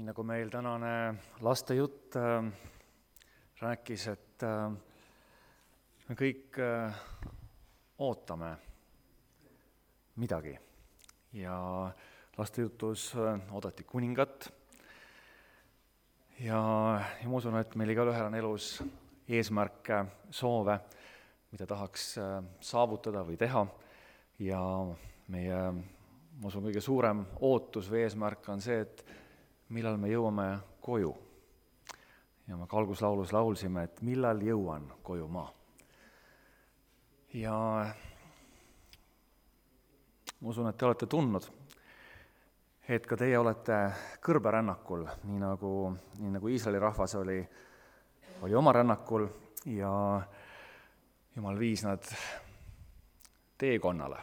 Nii nagu meil tänane lastejutt rääkis, et me kõik ootame midagi ja lastejutus oodati kuningat ja ma usun, et meil igaühel on elus eesmärke, soove, mida tahaks saavutada või teha ja meie, ma usun, kõige suurem ootus või eesmärk on see, et millal me jõuame koju. Ja me alguslaulus laulsime, et millal jõuan koju ma. Ja ma usun, et te olete tundnud, et ka teie olete kõrberännakul, nii nagu Iisraeli rahvas oli oma rännakul ja Jumal viis nad teekonnale,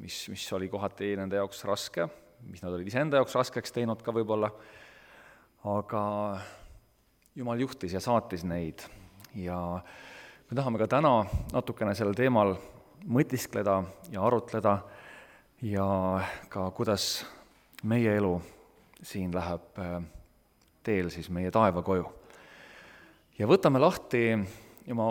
mis oli kohati nende jaoks raske, mis nad olid iseenda jaoks raskeks teinud ka võib-olla, aga Jumal juhtis ja saatis neid ja me tahame ka täna natukene sellel teemal mõtiskleda ja arutleda ja ka kuidas meie elu siin läheb teel siis meie taevakoju. Ja võtame lahti ja ma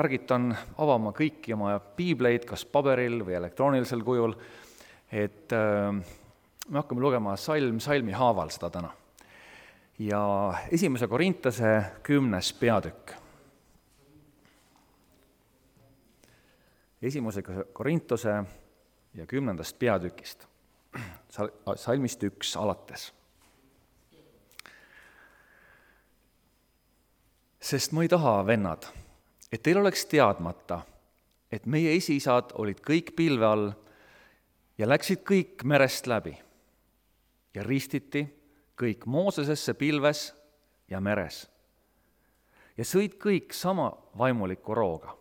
ärgitan avama kõiki oma piibleid, kas paberil või elektroonilisel kujul, et me hakkame lugema salmi haaval seda täna. Ja 1. Korintuse 10. peatükk. 1. Korintuse ja 10. peatükist, salmist 1 alates. Sest ma ei taha, vennad, et teil oleks teadmata, et meie esiisad olid kõik pilve all ja läksid kõik merest läbi ja ristiti kõik Moosesesse pilves ja meres ja sõid kõik sama vaimuliku rooga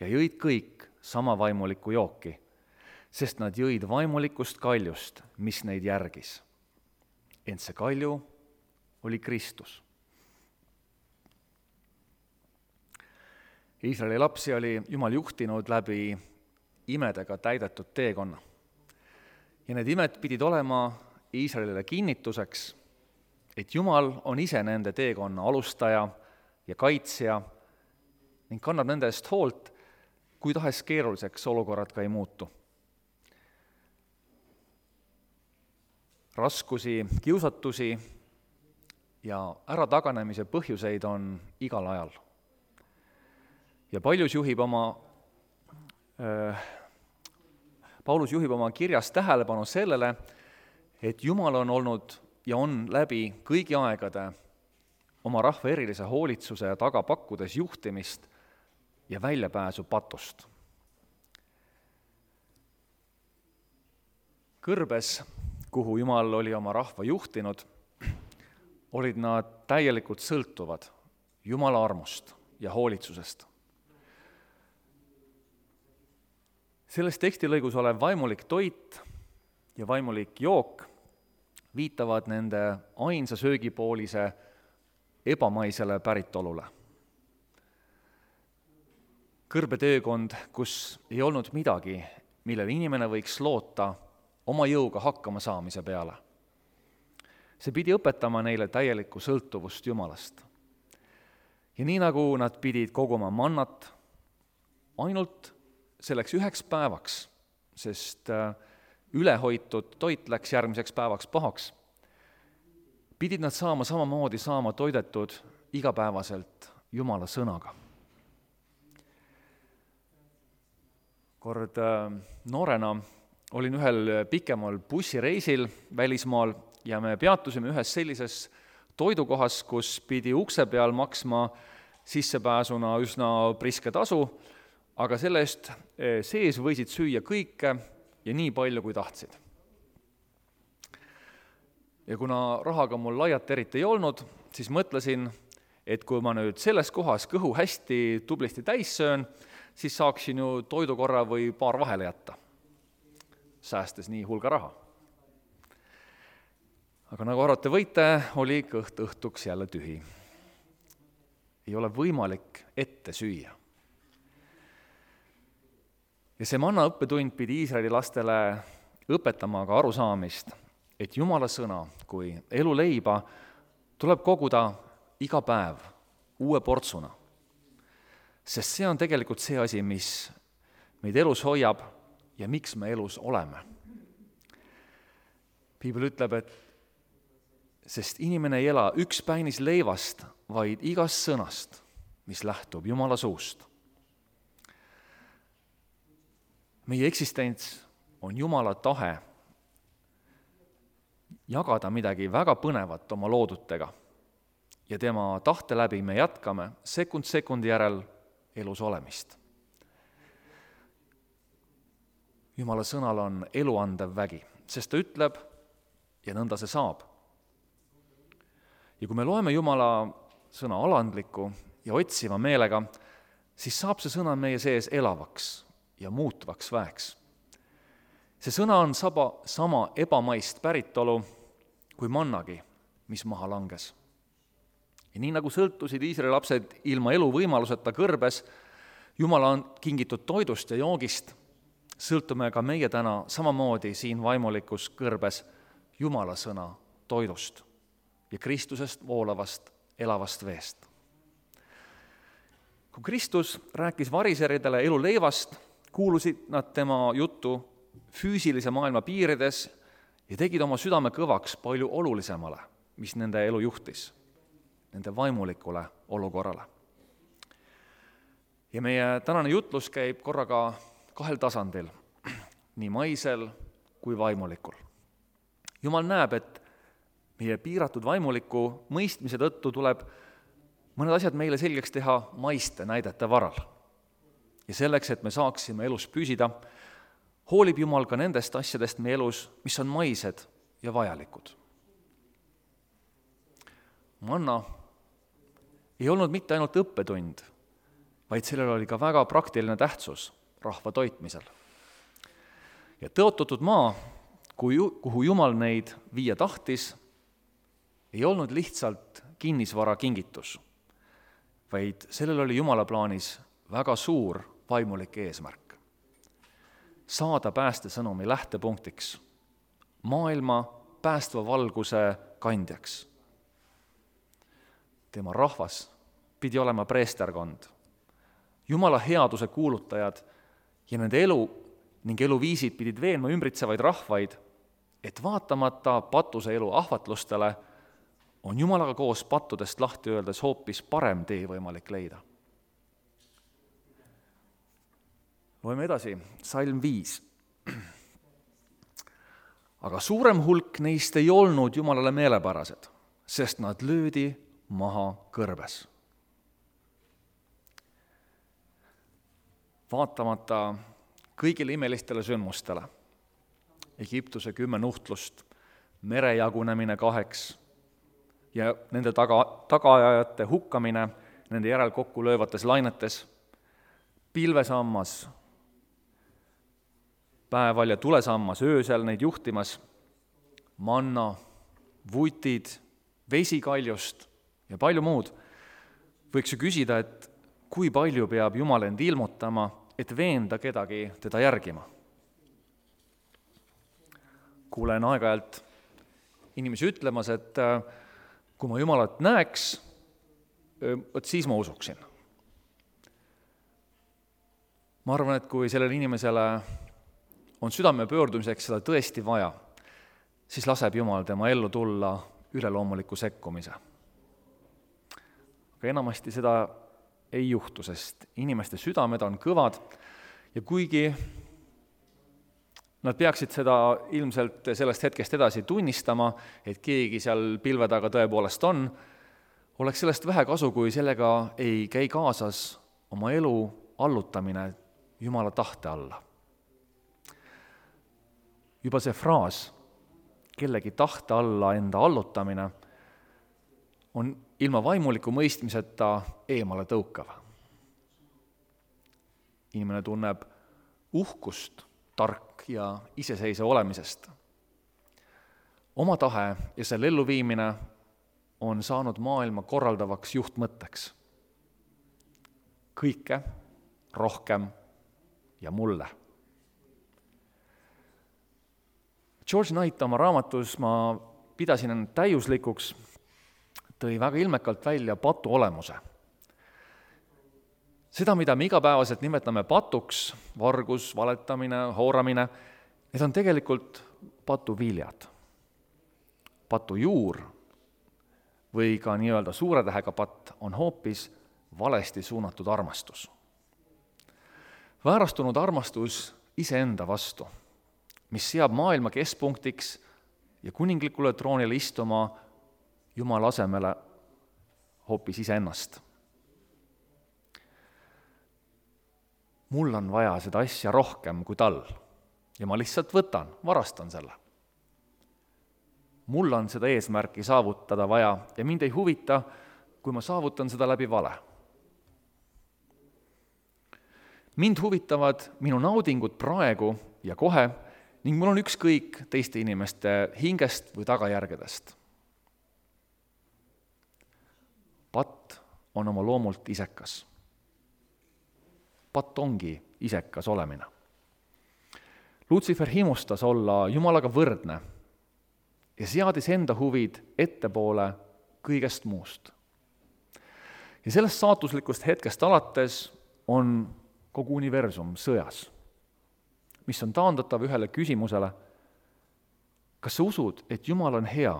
ja jõid kõik sama vaimuliku jooki, sest nad jõid vaimulikust kaljust, mis neid järgis. Ent see kalju oli Kristus. Iisraeli lapsi oli Jumal juhtinud läbi imedega täidetud teekonna. Ja need imed pidid olema Iisraelile kinnituseks, et Jumal on ise nende teekonna alustaja ja kaitsja ning kannab nende eest hoolt, kui tahes keeruliseks olukorrad ka ei muutu. Raskusi, kiusatusi ja ärataganemise põhjuseid on igal ajal. Ja Paulus juhib oma kirjas tähelepanu sellele, et Jumal on olnud ja on läbi kõigi aegade oma rahva erilise hoolitsuse ja taga pakkudes juhtimist ja väljapääsu patust. Kõrbes, kuhu Jumal oli oma rahva juhtinud, olid nad täielikult sõltuvad Jumala armust ja hoolitsusest. Selles tekstilõigus olev vaimulik toit ja vaimulik jook viitavad nende ainsa söögipoolise ebamaisele päritolule. Kõrbetöökond, kus ei olnud midagi, millel inimene võiks loota oma jõuga hakkama saamise peale. See pidi õpetama neile täielikku sõltuvust Jumalast. Ja nii nagu nad pidid koguma mannat ainult selleks 1 päevaks, sest ülehoitud toit läks järgmiseks päevaks pahaks, pidid nad samamoodi saama toidetud igapäevaselt Jumala sõnaga. Kord noorena olin ühel pikemal bussireisil välismaal ja me peatusime ühes sellises toidukohas, kus pidi ukse peal maksma sissepääsuna üsna priske tasu, aga selle eest sees võisid süüa kõike ja nii palju, kui tahtsid. Ja kuna rahaga mul laialt eriti ei olnud, siis mõtlesin, et kui ma nüüd selles kohas kõhu hästi tublisti täis söön, siis saaksin ju toidukorra või paar vahele jätta, säästes nii hulga raha. Aga nagu arvate võite, oli kõht õhtuks jälle tühi. Ei ole võimalik ette süüa. Ja see manna õppetund pidi Iisraeli lastele õpetama ka arusaamist, et Jumala sõna kui eluleiba tuleb koguda iga päev uue portsuna. Sest see on tegelikult see asi, mis meid elus hoiab ja miks me elus oleme. Piibel ütleb, et sest inimene ei ela ükspäinis leivast, vaid igast sõnast, mis lähtub Jumala suust. Meie eksistents on Jumala tahe jagada midagi väga põnevat oma loodutega ja tema tahte läbi me jätkame sekund sekundi järel elus olemist. Jumala sõnal on eluandev vägi, sest ta ütleb ja nõnda see saab. Ja kui me loeme Jumala sõna alandliku ja otsiva meelega, siis saab see sõna meie sees elavaks ja muutvaks väeks. See sõna on sama ebamaist päritolu kui mannagi, mis maha langes. Ja nii nagu sõltusid Iisraeli lapsed ilma eluvõimaluseta kõrbes Jumala on kingitud toidust ja joogist, sõltume ka meie täna samamoodi siin vaimulikus kõrbes Jumala sõna toidust ja Kristusest voolavast elavast veest. Kui Kristus rääkis variseridele elu leivast, kuulusid nad tema juttu füüsilise maailma piirides ja tegid oma südame kõvaks palju olulisemale, mis nende elu juhtis, nende vaimulikule olukorrale. Ja meie tänane jutlus käib korraga 2 tasandil, nii maisel kui vaimulikul. Jumal näeb, et meie piiratud vaimuliku mõistmise tõttu tuleb mõned asjad meile selgeks teha maiste näidete varal. Ja selleks, et me saaksime elus püsida, hoolib Jumal ka nendest asjadest meie elus, mis on maised ja vajalikud. Manna ei olnud mitte ainult õppetund, vaid sellel oli ka väga praktiline tähtsus rahva toitmisel. Ja tõotatud maa, kuhu Jumal neid viia tahtis, ei olnud lihtsalt kinnisvara kingitus, vaid sellel oli Jumala plaanis väga suur vaimulik eesmärk. Saada päästesõnumi lähtepunktiks, maailma päästva valguse kandjaks. Tema rahvas pidi olema preesterkond, Jumala headuse kuulutajad ja nende elu ning eluviisid pidid veenma ümbritsevaid rahvaid, et vaatamata patuse elu ahvatlustele on Jumalaga koos pattudest lahti öeldes hoopis parem tee võimalik leida. Loeme edasi, Salm 5. Aga suurem hulk neist ei olnud Jumalale meelepärased, sest nad löödi maha kõrbes. Vaatamata kõigile imelistele sündmustele, Egiptuse 10 nuhtlust, mere jagunemine 2 ja nende tagaajajate hukkamine nende järel kokku löövates lainetes, pilvesammas, päeval ja tulesammas öösel neid juhtimas, manna, vutid, vesikaljust ja palju muud, võiks ju küsida, et kui palju peab Jumal end ilmutama, et veenda kedagi teda järgima. Kuulen aeg-ajalt inimesi ütlemas, et kui ma Jumalat näeks, siis ma usuksin. Ma arvan, et kui sellele inimesele on südame pöördumiseks seda tõesti vaja, siis laseb Jumal tema ellu tulla üleloomuliku sekkumise. Aga enamasti seda ei juhtu, sest inimeste südamed on kõvad ja kuigi nad peaksid seda ilmselt sellest hetkest edasi tunnistama, et keegi seal pilve taga tõepoolest on, oleks sellest vähe kasu, kui sellega ei käi kaasas oma elu allutamine Jumala tahte alla. Juba see fraas, kellegi tahte alla enda allutamine, on ilma vaimuliku mõistmiseta eemale tõukav. Inimene tunneb uhkust tark ja iseseisev olemisest. Oma tahe ja selle elluviimine on saanud maailma korraldavaks juhtmõtteks. Kõike, rohkem ja mulle. George Knight oma raamatus "Ma pidasin end täiuslikuks" tõi väga ilmekalt välja patu olemuse. Seda, mida me igapäevaselt nimetame patuks, vargus, valetamine, hooramine, need on tegelikult patu viljad. Patu juur või ka nii-öelda suure tähega patt on hoopis valesti suunatud armastus. Väärastunud armastus iseenda vastu, mis seab maailma keskpunktiks ja kuninglikule troonile istuma Jumala asemele hoopis iseennast. Mul on vaja seda asja rohkem kui tal ja ma lihtsalt varastan selle. Mul on seda eesmärki saavutada vaja ja mind ei huvita, kui ma saavutan seda läbi vale. Mind huvitavad minu naudingud praegu ja kohe ning mul on ükskõik teiste inimeste hingest või tagajärgedest. Patt on oma loomult isekas. Patt ongi isekas olemine. Lutsifer himustas olla Jumalaga võrdne ja seadis enda huvid ettepoole kõigest muust. Ja sellest saatuslikust hetkest alates on kogu universum sõjas, mis on taandatav ühele küsimusele: kas sa usud, et Jumal on hea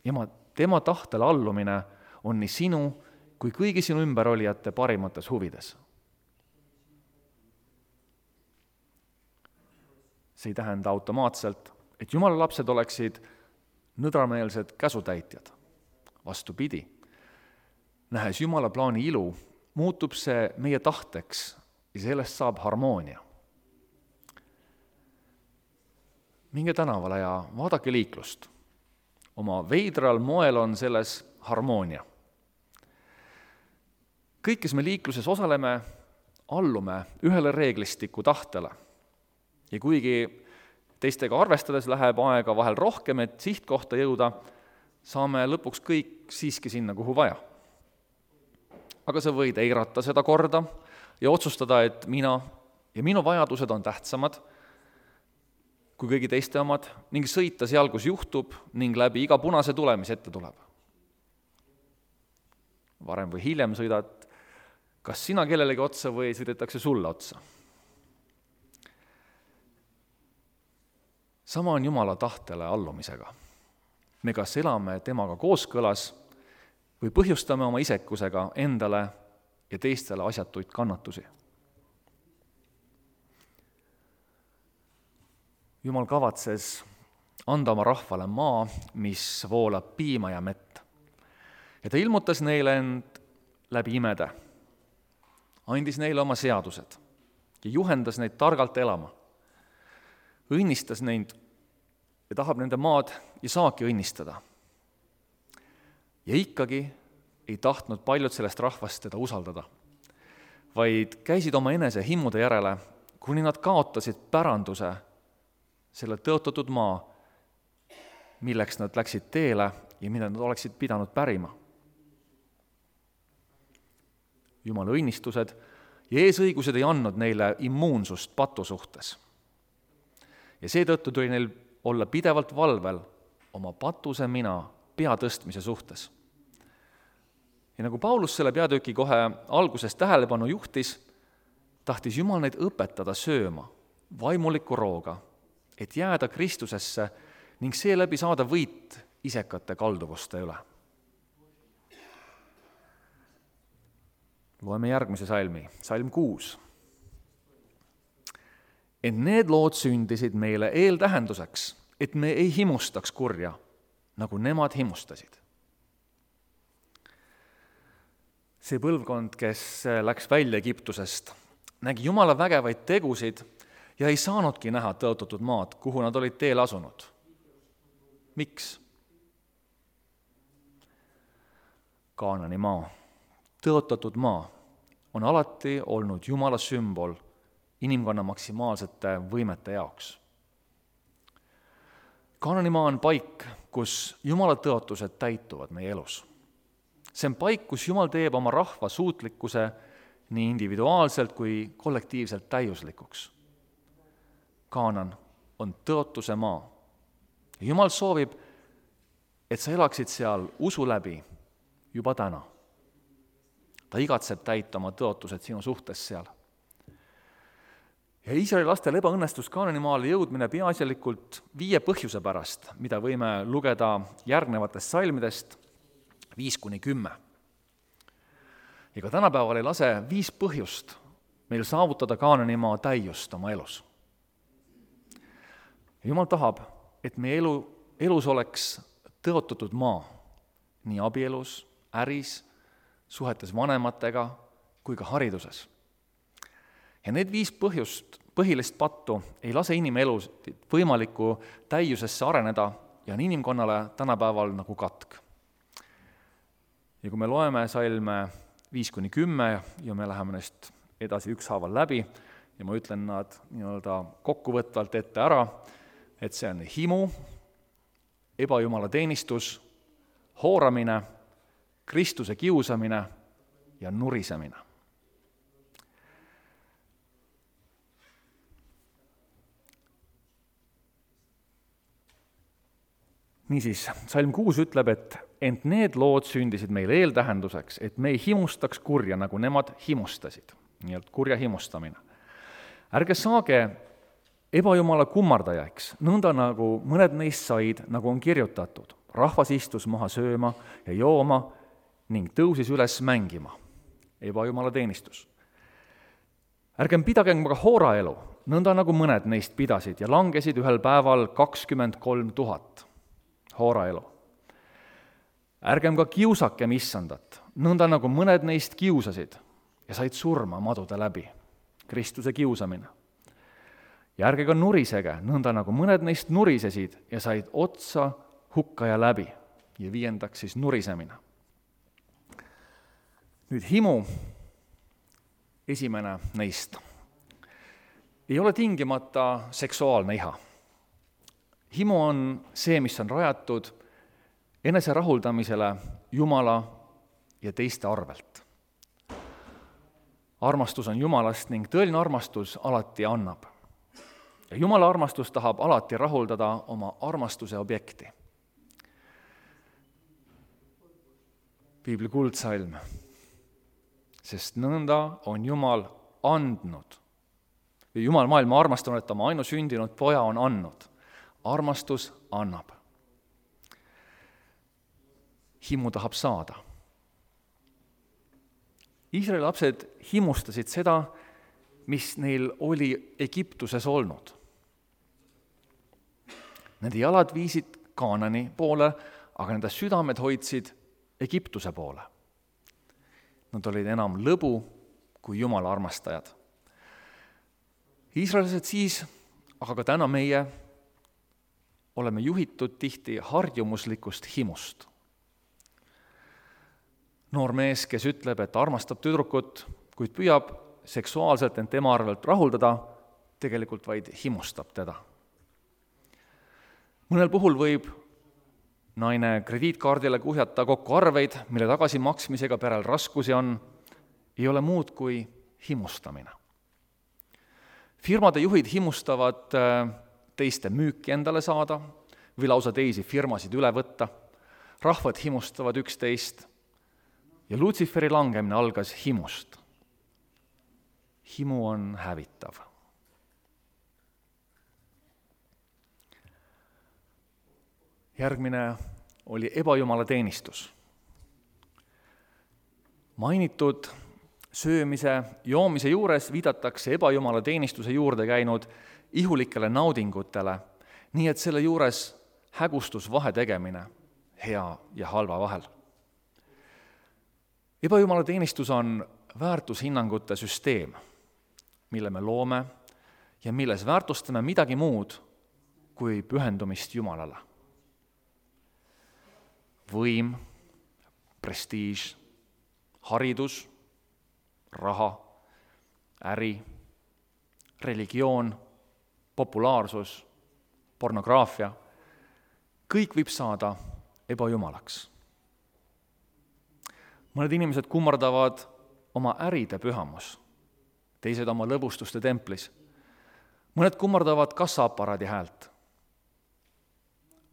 ja tema tahtele allumine on nii sinu kui kõigi sinu ümberolijate parimates huvides? See ei tähenda automaatselt, et Jumala lapsed oleksid nõdrameelsed käsutäitjad. Vastupidi, nähes Jumala plaani ilu, muutub see meie tahteks ja sellest saab harmoonia. Minge tänavale ja vaadake liiklust. Oma veidral moel on selles harmoonia. Kõik, kes me liikluses osaleme, allume ühele reeglistiku tahtele. Ja kuigi teistega arvestades läheb aega vahel rohkem, et sihtkohta jõuda, saame lõpuks kõik siiski sinna, kuhu vaja. Aga sa võid eirata seda korda ja otsustada, et mina ja minu vajadused on tähtsamad kui kõigi teiste omad ning sõita seal, kus juhtub ning läbi iga punase tule, mis ette tuleb. Varem või hiljem sõidad kas sina kellelegi otsa või sõidetakse sulle otsa. Sama on Jumala tahtele allumisega. Me kas elame temaga kooskõlas või põhjustame oma isekusega endale ja teistele asjatuid kannatusi. Jumal kavatses anda oma rahvale maa, mis voolab piima ja mett. Ja ta ilmutas neile end läbi imede, andis neile oma seadused ja juhendas neid targalt elama. Õnnistas neid ja tahab nende maad ja saaki õnnistada. Ja ikkagi ei tahtnud paljud sellest rahvast teda usaldada, vaid käisid oma enese himmude järele, kuni nad kaotasid päranduse selle tõotatud maa, milleks nad läksid teele ja mida nad oleksid pidanud pärima. Jumala õnnistused ja eesõigused ei andnud neile immuunsust patu suhtes. Ja seetõttu tuli neil olla pidevalt valvel oma patuse mina pea tõstmise suhtes. Ja nagu Paulus selle peatüki kohe alguses tähelepanu juhtis, tahtis Jumal neid õpetada sööma vaimuliku rooga, et jääda Kristusesse ning seeläbi saada võit isekate kalduvuste üle. Loeme järgmise salmi, salm 6. Et need lood sündisid meile eeltähenduseks, et me ei himustaks kurja, nagu nemad himustasid. See põlvkond, kes läks välja Egiptusest, nägi Jumala vägevaid tegusid ja ei saanudki näha tõotatud maad, kuhu nad olid teel asunud. Miks? Kaanani maa, tõotatud maa, on alati olnud Jumala sümbol inimkonna maksimaalsete võimete jaoks. Kaananimaa on paik, kus Jumala tõotused täituvad meie elus. See on paik, kus Jumal teeb oma rahva suutlikkuse nii individuaalselt kui kollektiivselt täiuslikuks. Kaanan on tõotuse maa, ja Jumal soovib, et sa elaksid seal usu läbi juba täna. Ta igatseb täita oma tõotused sinu suhtes seal. Ja Iisraeli lastel ebaõnnestus Kaanani maale jõudmine peaasjalikult 5 põhjuse pärast, mida võime lugeda järgnevatest salmidest 5-10. Ja ka tänapäeval ei lase 5 põhjust meil saavutada Kaanani maa täiust oma elus. Ja Jumal tahab, et meie elus oleks tõotatud maa, nii abielus, äris, suhetes vanematega kui ka hariduses. Ja need 5 põhilist pattu ei lase inimelus võimaliku täiusesse areneda ja on inimkonnale tänapäeval nagu katk. Ja kui me loeme salme 5-10 ja me läheme neist edasi ükshaaval läbi ja ma ütlen nad nii-öelda kokkuvõtvalt ette ära, et see on himu, ebajumala teenistus, hooramine, Kristuse kiusamine ja nurisemine. Niisiis, salm 6 ütleb, et ent need lood sündisid meil eeltähenduseks, et me ei himustaks kurja, nagu nemad himustasid. Nii-öelda kurja himustamine. Ärge saage ebajumala kummardajaks, nõnda nagu mõned neist said, nagu on kirjutatud. Rahvas istus maha sööma ja jooma ning tõusis üles mängima. Ebajumala teenistus. Ärgem pidagem ka hooraelu, nõnda nagu mõned neist pidasid ja langesid ühel päeval 23 000 hooraelu. Ärgem ka kiusakem issandat, nõnda nagu mõned neist kiusasid ja said surma madude läbi, Kristuse kiusamine. Ja ärge ka nurisege, nõnda nagu mõned neist nurisesid ja said otsa hukkaja läbi. Ja 5. siis nurisemine. Nüüd himu, esimene neist, ei ole tingimata seksuaalne iha. Himu on see, mis on rajatud enese rahuldamisele Jumala ja teiste arvelt. Armastus on Jumalast ning tõeline armastus alati annab. Ja Jumala armastus tahab alati rahuldada oma armastuse objekti. Piibli kuldsalm. Sest nõnda on Jumal andnud. Jumal maailma armastanud, et oma ainusündinud poja on andnud. Armastus annab. Himu tahab saada. Iisraeli lapsed himustasid seda, mis neil oli Egiptuses olnud. Nende jalad viisid Kaanani poole, aga nende südamed hoidsid Egiptuse poole. Nad olid enam lõbu kui Jumala armastajad. Iisraelised siis, aga ka täna meie, oleme juhitud tihti harjumuslikust himust. Noor mees, kes ütleb, et armastab tüdrukut, kuid püüab seksuaalselt end tema arvelt rahuldada, tegelikult vaid himustab teda. Mõnel puhul võib naine krediitkaardile kuhjata kokku arveid, mille tagasimaksmisega perel raskusi on, ei ole muud kui himustamine. Firmade juhid himustavad teiste müüki endale saada või lausa teisi firmasid üle võtta. Rahvad himustavad üksteist ja Lutsiferi langemine algas himust. Himu on hävitav. Järgmine oli ebajumala teenistus. Mainitud söömise, joomise juures viidatakse ebajumala teenistuse juurde käinud ihulikele naudingutele, nii et selle juures hägustus vahe tegemine hea ja halva vahel. Ebajumala teenistus on väärtushinnangute süsteem, mille me loome ja milles väärtustame midagi muud kui pühendumist Jumalale. Võim, prestiiž, haridus, raha, äri, religioon, populaarsus, pornograafia, kõik võib saada ebajumalaks. Mõned inimesed kummardavad oma äride pühamus, teised oma lõbustuste templis. Mõned kummardavad kassaaparaadi häält.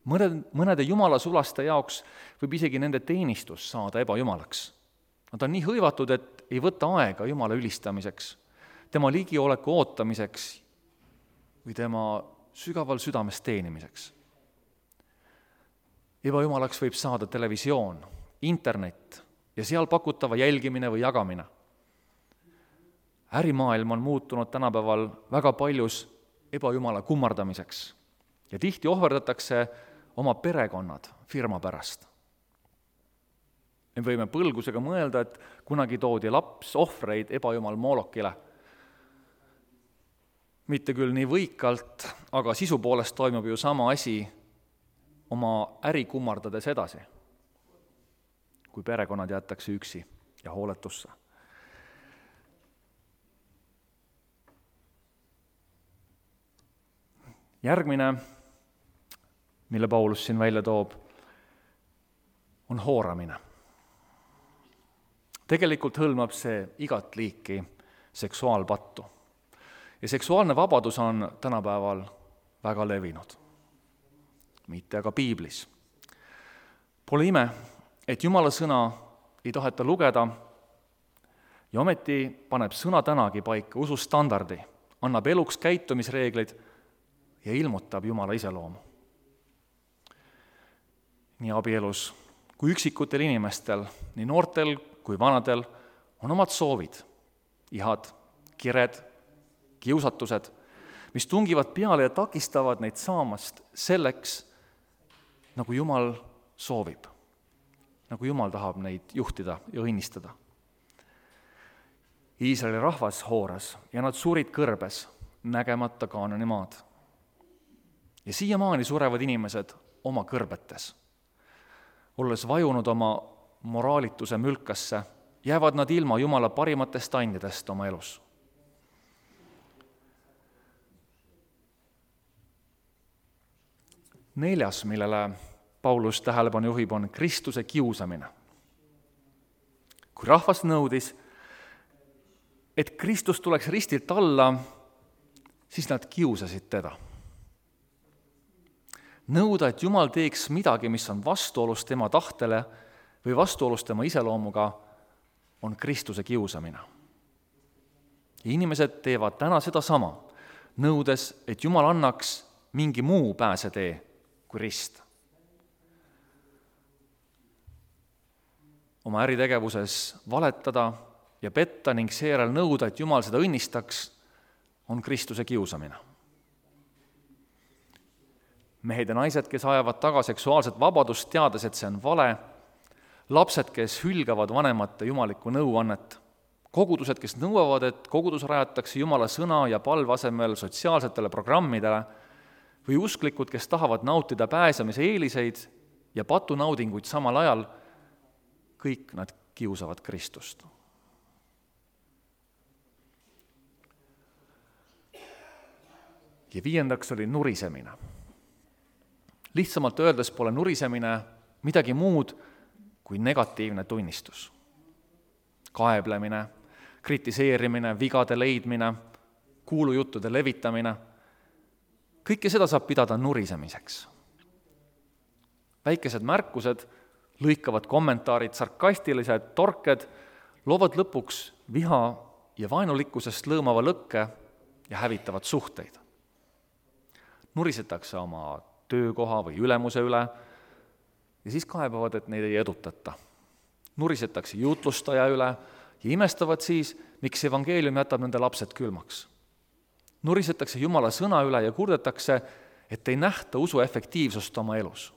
Mõnede jumalasulaste jaoks võib isegi nende teenistus saada ebajumalaks. Nad on nii hõivatud, et ei võta aega Jumala ülistamiseks, tema ligioleku ootamiseks või tema sügaval südames teenimiseks. Ebajumalaks võib saada televisioon, internet ja seal pakutava jälgimine või jagamine. Ärimaailm on muutunud tänapäeval väga paljus ebajumala kummardamiseks ja tihti ohverdatakse oma perekonnad firma pärast. Me võime põlgusega mõelda, et kunagi toodi laps ohvreid ebajumal Molokile. Mitte küll nii võikalt, aga sisu poolest toimub ju sama asi oma äri kummardades edasi, kui perekonnad jäetakse üksi ja hooletusse. Järgmine, mille Paulus siin välja toob, on hooramine. Tegelikult hõlmab see igat liiki seksuaalpattu. Ja seksuaalne vabadus on tänapäeval väga levinud. Mitte aga piiblis. Pole ime, et Jumala sõna ei taheta lugeda ja ometi paneb sõna tänagi paika usustandardi, annab eluks käitumisreeglid ja ilmutab Jumala iseloomu. Nii abielus kui üksikutel inimestel, nii noortel kui vanadel on omad soovid, ihad, kired, kiusatused, mis tungivad peale ja takistavad neid saamast selleks, nagu Jumal soovib, nagu Jumal tahab neid juhtida ja õnnistada. Iisraeli rahvas hooras ja nad surid kõrbes, nägemata Kaanani maad. Ja siiamaani surevad inimesed oma kõrbetes. Olles vajunud oma moraalituse mülkasse, jäävad nad ilma Jumala parimatest andidest oma elus. Neljas, millele Paulus tähelepanu juhib, on Kristuse kiusamine. Kui rahvas nõudis, et Kristus tuleks ristilt alla, siis nad kiusasid teda. Nõuda, et Jumal teeks midagi, mis on vastuolus tema tahtele või vastuolus tema iseloomuga, on Kristuse kiusamine. Ja inimesed teevad täna seda sama, nõudes, et Jumal annaks mingi muu pääsetee kui rist. Oma äritegevuses valetada ja petta ning seejärel nõuda, et Jumal seda õnnistaks, on Kristuse kiusamine. Mehed ja naised, kes ajavad taga seksuaalset vabadust, teades, et see on vale, lapsed, kes hülgavad vanemate jumalikku nõuannet, kogudused, kes nõuavad, et kogudus rajatakse Jumala sõna ja palve asemel sotsiaalsetele programmidele, või usklikud, kes tahavad nautida pääsemise eeliseid ja patunaudinguid samal ajal, kõik nad kiusavad Kristust. Ja 5. oli nurisemine. Lihtsamalt öeldes pole nurisemine midagi muud kui negatiivne tunnistus. Kaeblemine, kritiseerimine, vigade leidmine, kuulujuttude levitamine, kõike seda saab pidada nurisemiseks. Väikesed märkused, lõikavad kommentaarid, sarkastilised torked loovad lõpuks viha ja vaenulikkusest lõõmava lõkke ja hävitavad suhteid. Nurisetakse oma töökoha või ülemuse üle ja siis kaebavad, et neid ei edutata. Nurisetakse jutlustaja üle ja imestavad siis, miks evangeelium jätab nende lapsed külmaks. Nurisetakse Jumala sõna üle ja kurdetakse, et ei nähta usu efektiivsust oma elus.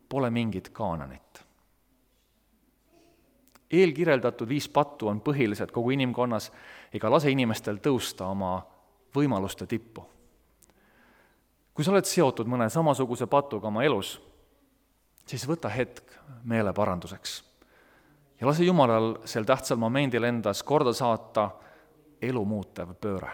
Pole mingit Kaananit. Eelkirjeldatud 5 pattu on põhilised kogu inimkonnas ega lase inimestel tõusta oma võimaluste tippu. Kui sa oled seotud mõne samasuguse patuga oma elus, siis võta hetk meeleparanduseks ja lase Jumalal sel tähtsal momendil endas korda saata elu muutev pööre.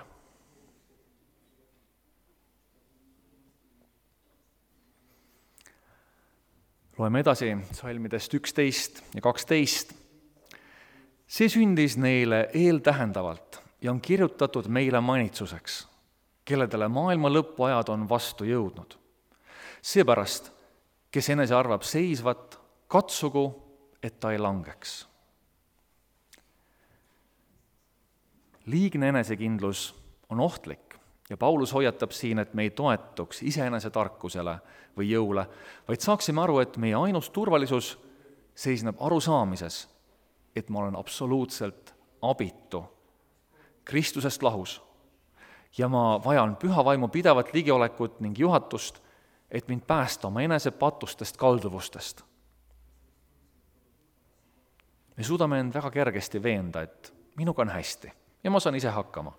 Loeme edasi salmidest 11 ja 12. See sündis neile eeltähendavalt ja on kirjutatud meile manitsuseks, kelledele maailma lõpuajad on vastu jõudnud. Seepärast, kes enese arvab seisvat, katsugu, et ta ei langeks. Liigne enesekindlus on ohtlik ja Paulus hoiatab siin, et me ei toetuks iseenese tarkusele või jõule, vaid saaksime aru, et meie ainus turvalisus seisneb arusaamises, et ma olen absoluutselt abitu, Kristusest lahus ja ma vajan püha vaimu pidevat ligiolekut ning juhatust, et mind päästa oma enese patustest kalduvustest. Me suudame end väga kergesti veenda, et minuga on hästi ja ma saan ise hakkama.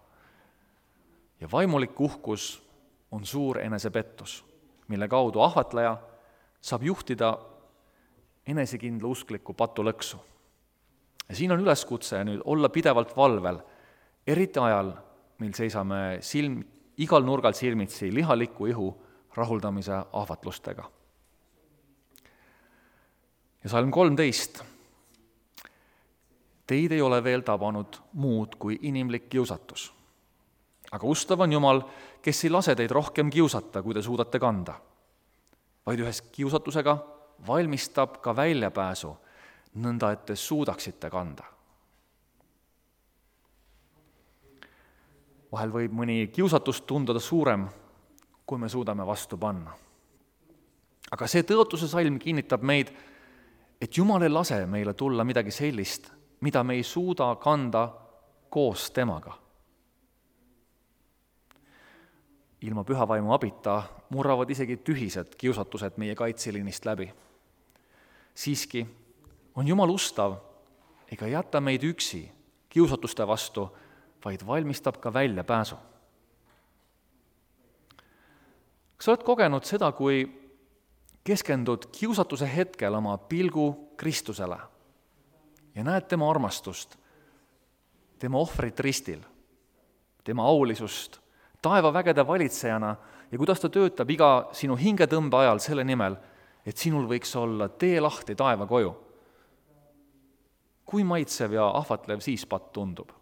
Ja vaimulik uhkus on suur enesepettus, mille kaudu ahvatleja saab juhtida enesekindla uskliku patulõksu. Ja siin on üleskutse nüüd olla pidevalt valvel, eriti ajal, mil seisame igal nurgal silmitsi lihaliku ihu rahuldamise ahvatlustega. Ja salm 13. Teid ei ole veel tabanud muud kui inimlik kiusatus. Aga ustav on Jumal, kes ei lase teid rohkem kiusata, kui te suudate kanda, vaid ühes kiusatusega valmistab ka väljapääsu, nõnda et te suudaksite kanda. Vahel võib mõni kiusatus tunduda suurem, kui me suudame vastu panna. Aga see tõotuse salm kinnitab meid, et Jumal ei lase meile tulla midagi sellist, mida me ei suuda kanda koos temaga. Ilma püha vaimu abita murravad isegi tühised kiusatused meie kaitseliinist läbi. Siiski on Jumal ustav ega jäta meid üksi kiusatuste vastu, vaid valmistab ka väljapääsu. Kas sa oled kogenud seda, kui keskendud kiusatuse hetkel oma pilgu Kristusele ja näed tema armastust, tema ohvrit ristil, tema aulisust taevavägede valitsejana ja kuidas ta töötab iga sinu hingetõmbe ajal selle nimel, et sinul võiks olla tee lahti taeva koju? Kui maitsev ja ahvatlev siis patt tundub?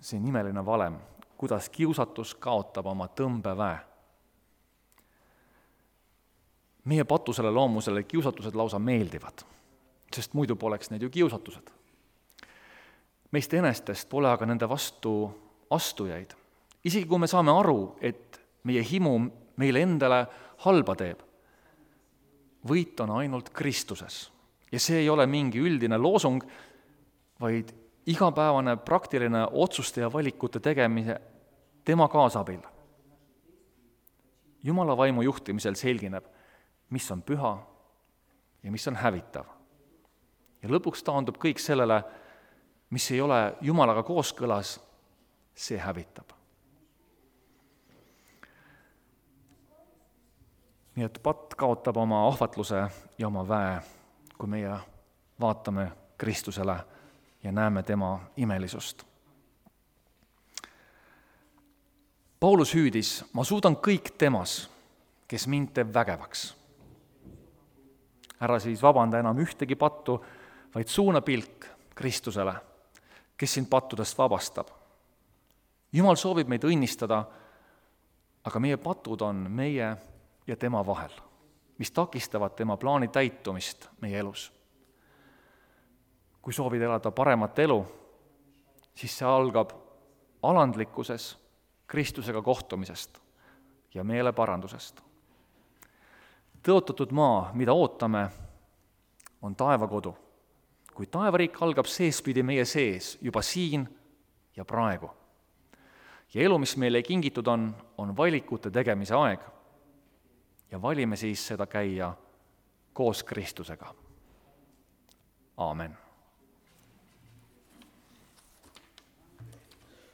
See nimeline valem, kuidas kiusatus kaotab oma tõmbeväe. Meie patusele loomusele kiusatused lausa meeldivad, sest muidu poleks need ju kiusatused. Meist enestest pole aga nende vastu astujaid. Isegi kui me saame aru, et meie himu meile endale halba teeb, võit on ainult Kristuses. Ja see ei ole mingi üldine loosung, vaid igapäevane praktiline otsuste ja valikute tegemise tema kaasabil. Jumala vaimu juhtimisel selgineb, mis on püha ja mis on hävitav. Ja lõpuks taandub kõik sellele, mis ei ole Jumalaga kooskõlas, see hävitab. Nii et patt kaotab oma ahvatluse ja oma väe, kui meie vaatame Kristusele ja näeme tema imelisust. Paulus hüüdis, ma suudan kõik temas, kes mind teeb vägevaks. Ära siis vabanda enam ühtegi pattu, vaid suuna pilk Kristusele, kes sind pattudest vabastab. Jumal soovib meid õnnistada, aga meie patud on meie ja tema vahel, mis takistavad tema plaani täitumist meie elus. Kui soovid elada paremat elu, siis see algab alandlikkuses, Kristusega kohtumisest ja meeleparandusest. Tõotatud maa, mida ootame, on taevakodu, kui taevariik algab seespidi meie sees juba siin ja praegu. Ja elu, mis meile kingitud on valikute tegemise aeg ja valime siis seda käia koos Kristusega. Aamen.